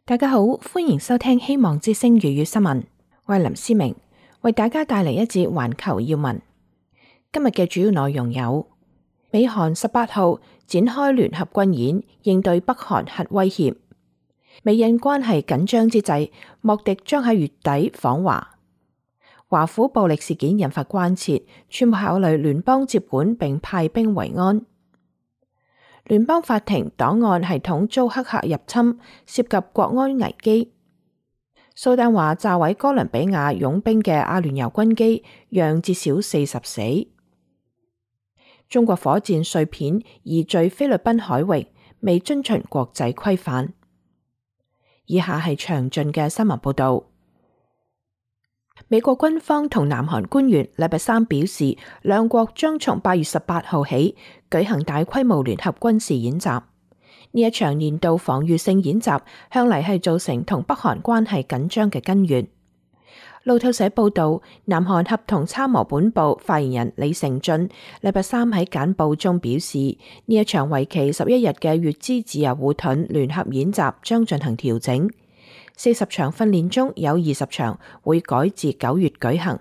大家好，歡迎收聽希望之聲粵語新聞。我係林思明，為大家帶嚟一節環球要聞。今日嘅主要內容有：美韓18號展開聯合軍演，應對北韓核威脅；美印關係緊張之際，莫迪將喺月底訪華；華府暴力事件引發關切，川普考慮聯邦接管並派兵維安。聯邦法庭檔案系統遭黑客入侵，涉及國安危機。蘇丹話炸毀哥倫比亞傭兵嘅阿聯酋軍機，讓至少40死。中國火箭碎片移墜菲律賓海域，未遵循國際規範。以下係詳盡嘅新聞報道。美國軍方同南韓官員禮拜三表示，兩國將從8月18號起舉行大規模聯合軍事演習。呢一場年度防禦性演習向嚟係造成同北韓關係緊張嘅根源。路透社報道，南韓合同參謀本部發言人李成俊禮拜三喺簡報中表示，呢一場為期11日嘅乙支自由護盾聯合演習將進行調整。40場訓練中有20場會改至9月舉行。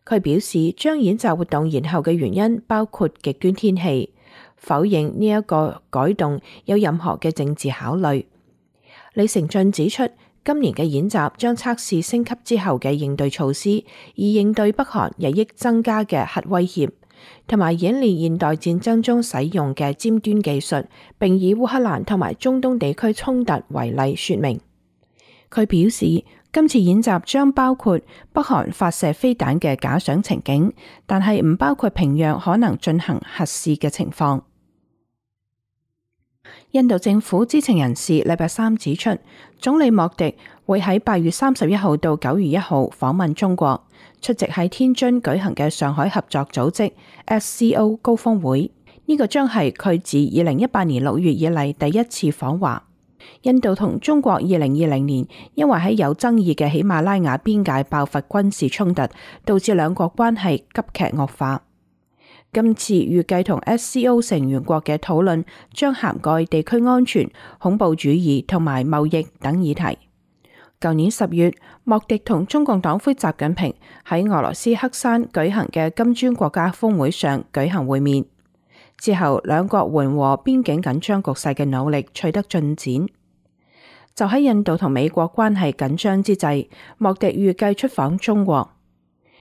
佢表示，將演習活動延後嘅原因包括極端天氣，否認呢一個改動有任何嘅政治考慮。李成俊指出，今年嘅演習將測試升級之後嘅應對措施，以應對北韓日益增加嘅核威脅，同埋演練現代戰爭中使用嘅尖端技術，並以烏克蘭同埋中東地區衝突為例說明。佢表示，今次演習將包括北韓發射飛彈嘅假想情景，但係唔包括平壤可能進行核試嘅情況。印度政府知情人士禮拜三指出，總理莫迪會喺8月31號到9月1號訪問中國，出席喺天津舉行嘅上海合作組織 SCO 高峰會。呢個將係佢自2018年6月以嚟第一次訪華。印度同中國2020年因為喺有爭議嘅喜馬拉雅邊界爆發軍事衝突，導致兩國關係急劇惡化。今次預計同 SCO 成員國嘅討論將涵蓋地區安全、恐怖主義同埋貿易等議題。舊年10月，莫迪同中共黨魁習近平喺俄羅斯黑山舉行嘅金磚國家峰會上舉行會面。之後，兩國緩和邊境緊張局勢嘅努力取得進展。就喺印度同美國關係緊張之際，莫迪預計出訪中國。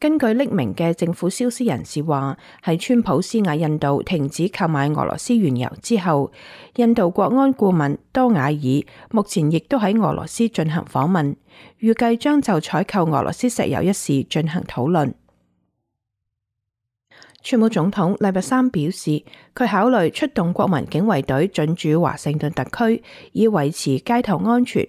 根據匿名嘅政府消息人士話，喺川普施壓印度停止購買俄羅斯原油之後，印度國安顧問多瓦爾目前亦都喺俄羅斯進行訪問，預計將就採購俄羅斯石油一事進行討論。川普總統禮拜三表示，佢考慮出動國民警衛隊進駐華盛頓特區，以維持街頭安全。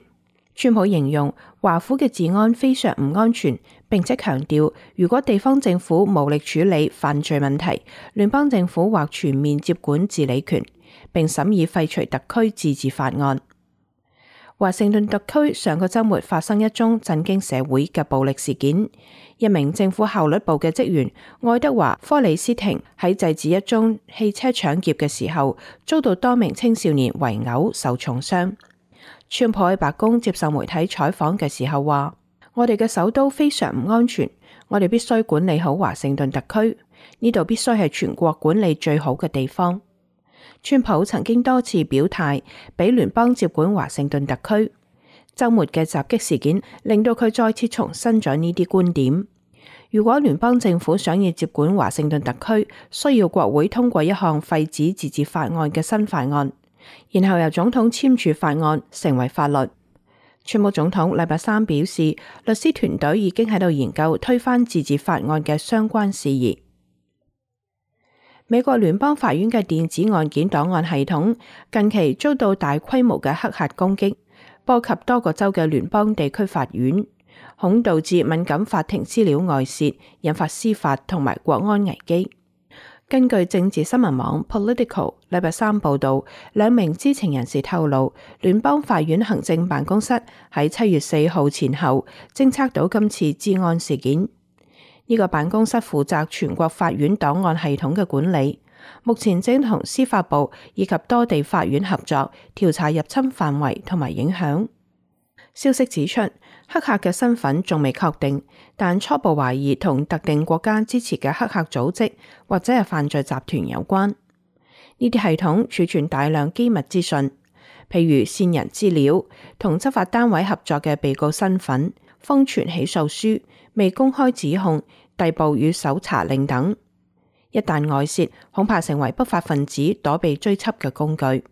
川普形容華府嘅治安非常唔安全，並且強調，如果地方政府無力處理犯罪問題，聯邦政府或全面接管治理權，並審議廢除特區自治法案。華盛頓特區上個週末發生一宗震驚社會嘅暴力事件，一名政府效率部嘅職員愛德華·科里斯廷喺制止一宗汽車搶劫嘅時候，遭到多名青少年圍毆，受重傷。川普喺白宮接受媒體採訪嘅時候話：我哋嘅首都非常唔安全，我哋必須管理好華盛頓特區，呢度必須係全國管理最好嘅地方。川普曾經多次表態，俾聯邦接管華盛頓特區。週末嘅襲擊事件令到佢再次重申咗呢啲觀點。如果聯邦政府想要接管華盛頓特區，需要國會通過一項廢止自治法案嘅新法案，然後由總統簽署法案成為法律。川普總統禮拜三表示，律師團隊已經喺度研究推翻自治法案嘅相關事宜。美國聯邦法院嘅電子案件檔案系統近期遭到大規模嘅黑客攻擊，波及多個州嘅聯邦地區法院，恐導致敏感法庭資料外泄，引發司法同埋國安危機。根據政治新聞網 Political 禮拜三報道，兩名知情人士透露，聯邦法院行政辦公室喺7月4號前後偵測到今次資安事件。呢個辦公室負責全國法院檔案系統嘅管理，目前正同司法部以及多地法院合作調查入侵範圍同埋影響。消息指出，黑客嘅身份仲未確定，但初步懷疑同特定國家支持嘅黑客組織或者係犯罪集團有關。呢啲系統儲存大量機密資訊，譬如線人資料、同執法單位合作嘅被告身份、封存起訴書、未公開指控、逮捕與搜查令等。一旦外泄，恐怕成為不法分子躲避追緝嘅工具。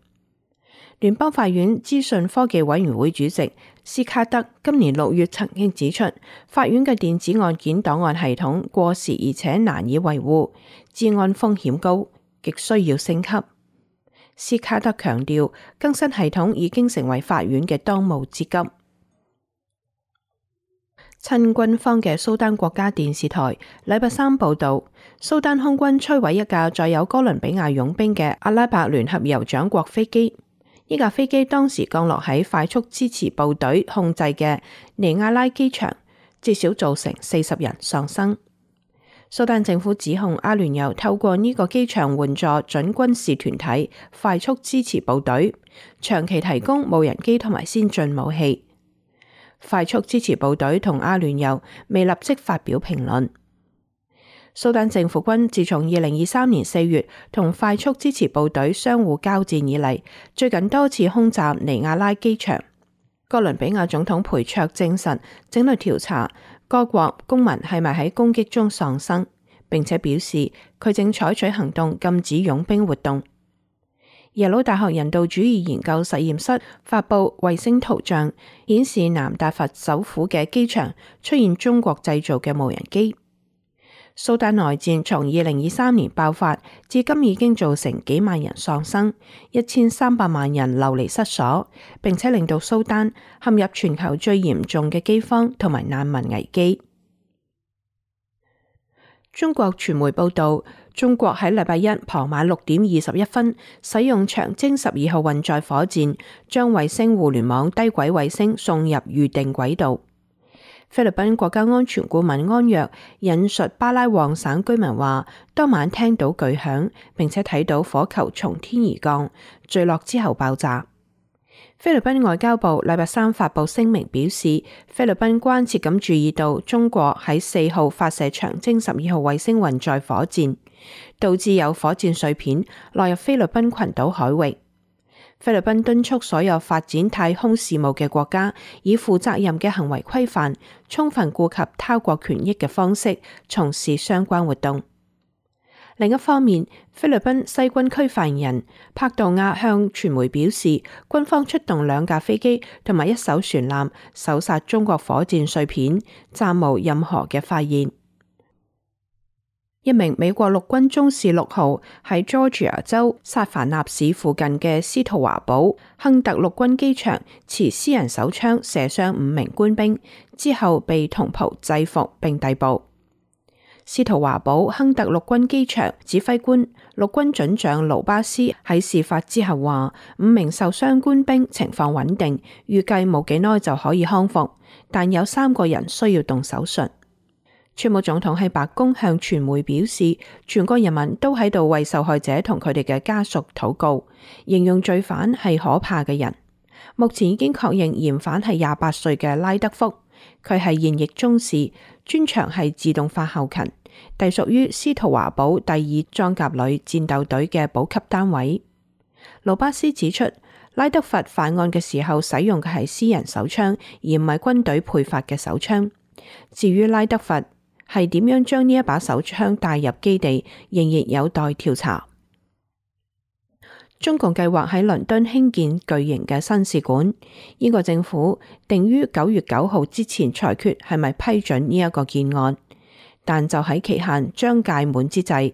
聯邦法院資訊科技委員會主席斯卡德今年6月曾經指出，法院嘅電子案件檔案系統過時而且難以維護，治安風險高，極需要升級。斯卡德強調，更新系統已經成為法院嘅當務之急。親軍方嘅蘇丹國家電視台禮拜三報道，蘇丹空軍摧毀一架載有哥倫比亞傭兵嘅阿拉伯聯合酋長國飛機。呢架飛機當時降落喺快速支持部隊控制嘅尼亞拉機場，至少造成40人喪生。蘇丹政府指控阿聯酋透過呢個機場援助準軍事團體快速支持部隊，長期提供無人機同埋先進武器。快速支持部隊同阿聯酋未立即發表評論。蘇丹政府軍自從2023年4月同快速支持部隊相互交戰以嚟，最近多次空襲尼亞拉機場。哥倫比亞總統培卓證實正在調查該國公民係咪喺攻擊中喪生，並且表示佢正採取行動禁止傭兵活動。耶魯大學人道主義研究實驗室發布衛星圖像，顯示南達佛首府嘅機場出現中國製造嘅無人機。蘇丹內戰從2023年爆發至今已經造成幾萬人喪生，1300萬人流離失所，並且令到蘇丹陷入全球最嚴重嘅饑荒同埋難民危機。中國傳媒報道，中國喺禮拜一傍晚6點21分使用長征12號運載火箭，將衛星互聯網低軌衛星送入預定軌道。菲律賓國家安全顧問安若引述巴拉旺省居民話，當晚聽到巨響，並且睇到火球從天而降，墜落之後爆炸。菲律賓外交部禮拜三發布聲明表示，菲律賓關切咁注意到中國喺4號發射長征12號衛星運載火箭，導致有火箭碎片落入菲律賓群島海域。菲律賓敦促所有發展太空事務嘅國家以負責任嘅行為規範、充分顧及他國權益嘅方式從事相關活動。另一方面，菲律賓西軍區發言人帕杜亞向傳媒表示，軍方出動2架飛機同埋1艘船艦搜殺中國火箭碎片，暫無任何嘅發現。一名美國陸軍中士6號喺 Georgia 州薩凡納市附近嘅斯圖華堡亨特陸軍機場持私人手槍射傷5名官兵，之後被同袍制服並逮捕。斯圖華堡亨特陸軍機場指揮官陸軍准將盧巴斯喺事發之後話，5名受傷官兵情況穩定，預計冇幾耐就可以康復，但有3個人需要動手術。川普總統喺白宮向傳媒表示，全國人民都喺度為受害者同佢哋嘅家屬禱告，形容罪犯係可怕嘅人。目前已經確認嫌犯係28歲嘅拉德福，佢係現役中士，專長係自動化後勤，隸屬於斯圖華堡第2裝甲旅戰鬥隊嘅補給單位。盧巴斯指出，拉德佛犯案嘅時候使用嘅係私人手槍，而唔係軍隊配發嘅手槍。至於拉德佛係點樣將呢一把手槍帶入基地，仍然有待調查。中共計劃喺倫敦興建巨型嘅新使館，英國政府定於9月9號之前裁決係咪批准呢一個建案，但就喺期限將屆滿之際，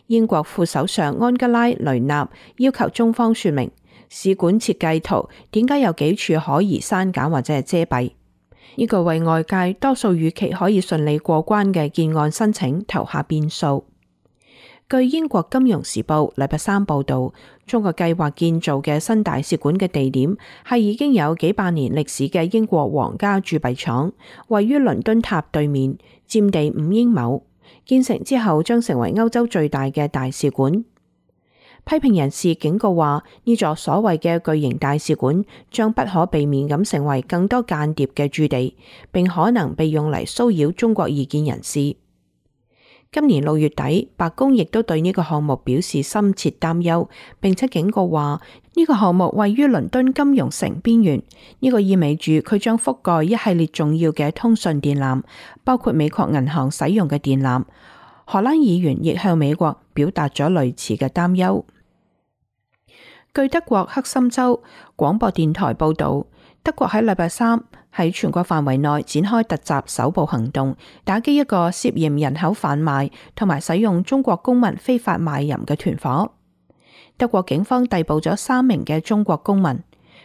英國副首相安吉拉·雷納要求中方說明使館設計圖點解有幾處可疑刪減或者係遮蔽。呢個為外界多數預期可以順利過關嘅建案申請投下變數。據英國金融時報禮拜三報道，中國計劃建造嘅新大使館嘅地點係已經有幾百年歷史嘅英國皇家鑄幣廠，位於倫敦塔對面，佔地5英畝。建成之後將成為歐洲最大嘅大使館。批評人士警告話，呢座所謂嘅巨型大使館將不可避免咁成為更多間諜嘅駐地，並可能被用嚟騷擾中國異見人士。今年6月底，白宮亦都對呢個項目表示深切擔憂，並且警告話呢個項目位於倫敦金融城邊緣，呢個意味住佢將覆蓋一系列重要嘅通訊電纜，包括美國銀行使用嘅電纜。荷蘭議員亦向美國表達咗類似嘅擔憂。據德國黑森州廣播電台報導，德國喺禮拜三喺全國範圍內展開突襲搜捕行動，打擊一個涉嫌人口販賣同埋使用中國公民非法賣淫嘅團夥。德國警方逮捕咗3名嘅中國公民，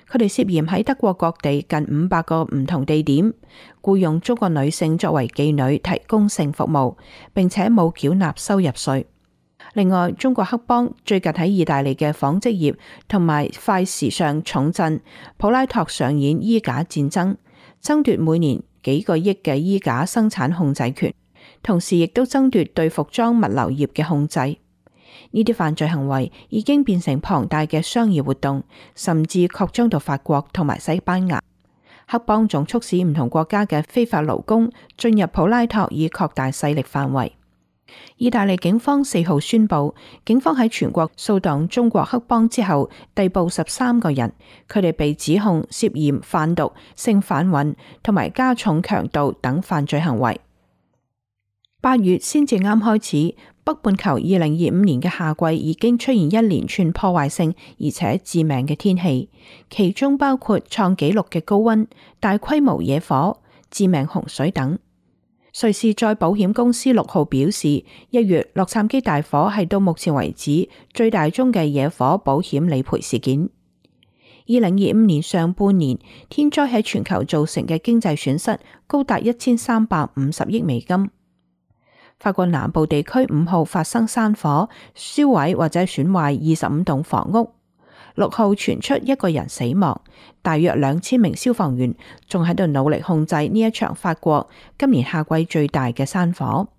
佢哋涉嫌喺德國各地近500個唔同地點僱用中國女性作為妓女提供性服務，並且冇繳納收入稅。另外，中國黑幫最近喺意大利嘅紡織業同埋快時尚重鎮普拉托上演衣架戰爭，爭奪每年幾個億嘅衣架生產控制權，同時亦都爭奪對服裝物流業嘅控制。呢啲犯罪行為已經變成龐大嘅商業活動，甚至擴張到法國同埋西班牙。黑幫仲促使唔同國家嘅非法勞工進入普拉托以擴大勢力範圍。意大利警方4號宣布，警方喺全國掃蕩中國黑幫之後，逮捕13個人，佢哋被指控涉嫌販毒、性販運同埋加重強盜等犯罪行為。8月先至啱開始，北半球2025年嘅夏季已經出現一連串破壞性而且致命嘅天氣，其中包括創紀錄嘅高溫、大規模野火、致命洪水等。瑞士再保險公司6號表示，1月洛杉磯大火係到目前為止最大宗嘅野火保險理賠事件。2025年上半年，天災喺全球造成嘅經濟損失高達1350億美金。法國南部地區5號發生山火，燒毀或者損壞25棟房屋。6號傳出1個人死亡，大約2000名消防員仲喺度努力控制呢一場法國今年夏季最大嘅山火。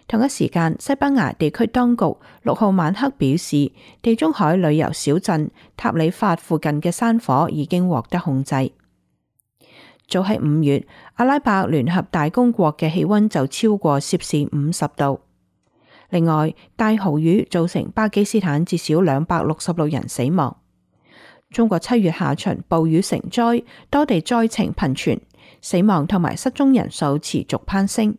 同一時間，西班牙地區當局6號晚黑表示，地中海旅遊小鎮塔里法附近嘅山火已經獲得控制。早喺5月，阿拉伯聯合大公國嘅氣溫就超過攝氏50度。另外，大豪雨造成巴基斯坦至少266人死亡。中國7月下旬暴雨成災，多地災情頻傳，死亡同埋失蹤人數持續攀升。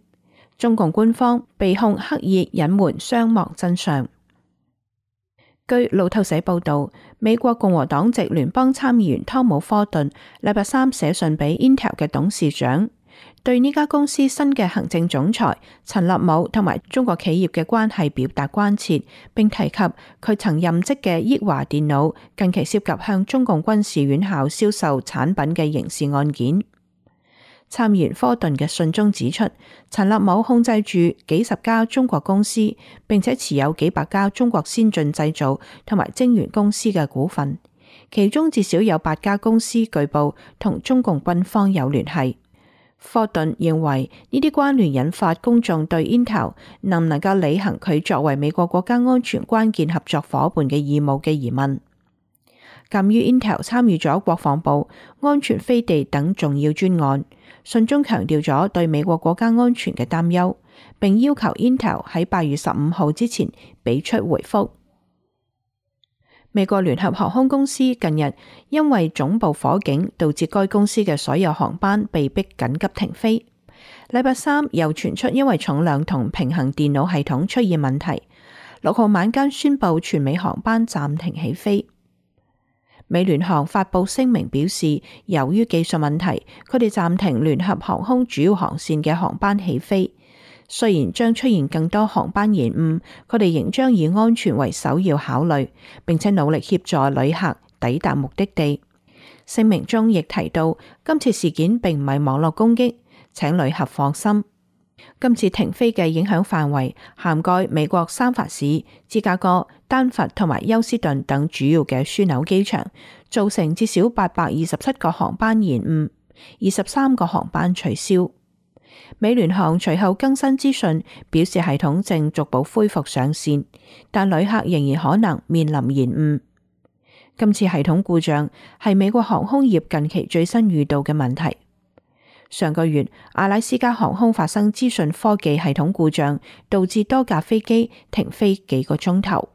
中共官方被控刻意隱瞞傷亡真相。據路透社報道，美國共和黨籍聯邦參議員湯姆·科頓禮拜三寫信俾 Intel 嘅董事長，對呢家公司新嘅行政總裁陳立武同埋中國企業嘅關係表達關切，並提及佢曾任職嘅益華電腦近期涉及向中共軍事院校銷售產品嘅刑事案件。參議員科頓嘅信中指出，陳立武控制住幾十家中國公司，並且持有幾百家中國先進製造同埋晶圓公司嘅股份，其中至少有8家公司據報同中共軍方有聯繫。科頓認為呢啲關聯引發公眾對 Intel 能唔能夠履行佢作為美國國家安全關鍵合作夥伴嘅義務嘅疑問。鑒於 Intel 參與咗國防部、安全飛地等重要專案，信中強調咗對美國國家安全嘅擔憂，並要求 Intel 喺8月15號之前俾出回覆。美國聯合航空公司近日因為總部火警導致該公司嘅所有航班被迫緊急停飛。禮拜三又傳出因為重量同平衡電腦系統出現問題，6號晚間宣布全美航班暫停起飛。美聯航發佈聲明表示，由於技術問題，佢哋暫停聯合航空主要航線嘅航班起飛。雖然將出現更多航班延誤，佢哋仍將以安全為首要考慮，並且努力協助旅客抵達目的地。聲明中亦提到，今次事件並唔係網絡攻擊，請旅客放心。今次停飛嘅影響範圍涵蓋美國三藩市、芝加哥、丹佛同埋休斯頓等主要嘅樞紐機場，造成至少827個航班延誤，23個航班取消。美聯航隨後更新資訊，表示系統正逐步恢復上線，但旅客仍然可能面臨延誤。今次系統故障係美國航空業近期最新遇到嘅問題。上個月，阿拉斯加航空發生資訊科技系統故障，導致多架飛機停飛幾個鐘頭。